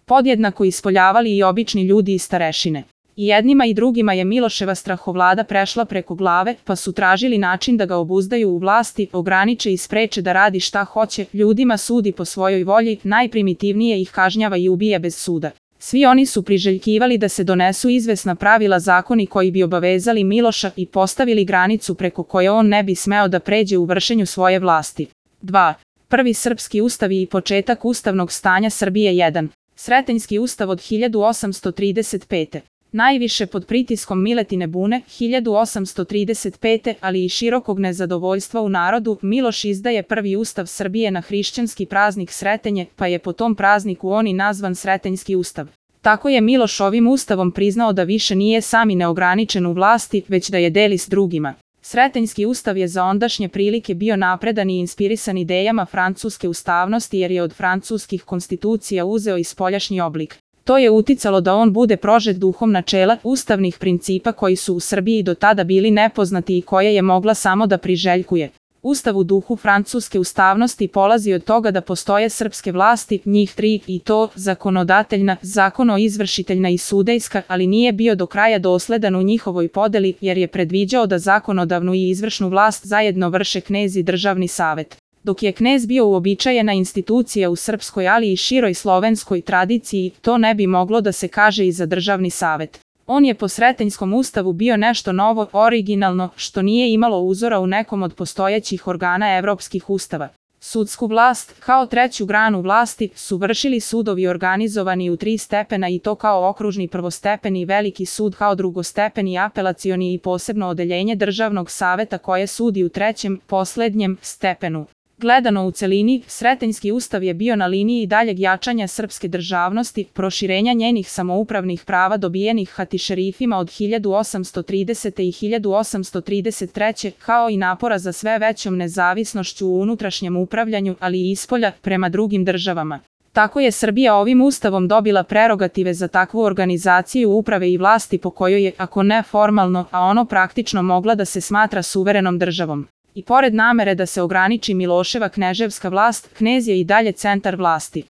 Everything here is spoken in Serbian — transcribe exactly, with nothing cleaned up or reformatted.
podjednako ispoljavali i obični ljudi i starešine. I jednima i drugima je Miloševa strahovlada prešla preko glave, pa su tražili način da ga obuzdaju u vlasti, ograniče i spreče da radi šta hoće, ljudima sudi po svojoj volji, najprimitivnije ih kažnjava i ubija bez suda. Svi oni su priželjkivali da se donesu izvesna pravila, zakoni koji bi obavezali Miloša i postavili granicu preko koje on ne bi smeo da pređe u vršenju svoje vlasti. dva. Prvi srpski ustav i početak ustavnog stanja Srbije. jedan. Sretenjski ustav od hiljadu osamsto trideset pete. Najviše pod pritiskom Miletine bune, hiljadu osamsto trideset pete, ali i širokog nezadovoljstva u narodu, Miloš izdaje prvi ustav Srbije na hrišćanski praznik Sretenje, pa je po tom prazniku on i nazvan Sretenjski ustav. Tako je Miloš ovim ustavom priznao da više nije sam i neograničen u vlasti, već da je deli s drugima. Sretenjski ustav je za ondašnje prilike bio napredan i inspirisan idejama francuske ustavnosti jer je od francuskih konstitucija uzeo i spoljašnji oblik. To je uticalo da on bude prožet duhom načela, ustavnih principa koji su u Srbiji do tada bili nepoznati i koje je mogla samo da priželjkuje. Ustav u duhu francuske ustavnosti polazi od toga da postoje srpske vlasti, njih tri, i to zakonodateljna, zakonoizvršiteljna i sudejska, ali nije bio do kraja dosledan u njihovoj podeli jer je predviđao da zakonodavnu i izvršnu vlast zajedno vrše knez i državni savet. Dok je knez bio uobičajena institucija u srpskoj, ali i široj slovenskoj tradiciji, to ne bi moglo da se kaže i za državni savet. On je po Sretenjskom ustavu bio nešto novo, originalno, što nije imalo uzora u nekom od postojećih organa evropskih ustava. Sudsku vlast, kao treću granu vlasti, su vršili sudovi organizovani u tri stepena i to kao okružni prvostepeni i veliki sud kao drugostepeni apelacioni i posebno odeljenje državnog saveta koje sudi u trećem, poslednjem, stepenu. Gledano u celini, Sretenjski ustav je bio na liniji daljeg jačanja srpske državnosti, proširenja njenih samoupravnih prava dobijenih hatišerifima od hiljadu osamsto tridesete i hiljadu osamsto trideset treće, kao i napora za sve većom nezavisnošću u unutrašnjem upravljanju, ali i ispolja, prema drugim državama. Tako je Srbija ovim ustavom dobila prerogative za takvu organizaciju uprave i vlasti po kojoj je, ako ne formalno, a ono praktično mogla da se smatra suverenom državom. I pored namere da se ograniči Miloševa kneževska vlast, knez je i dalje centar vlasti.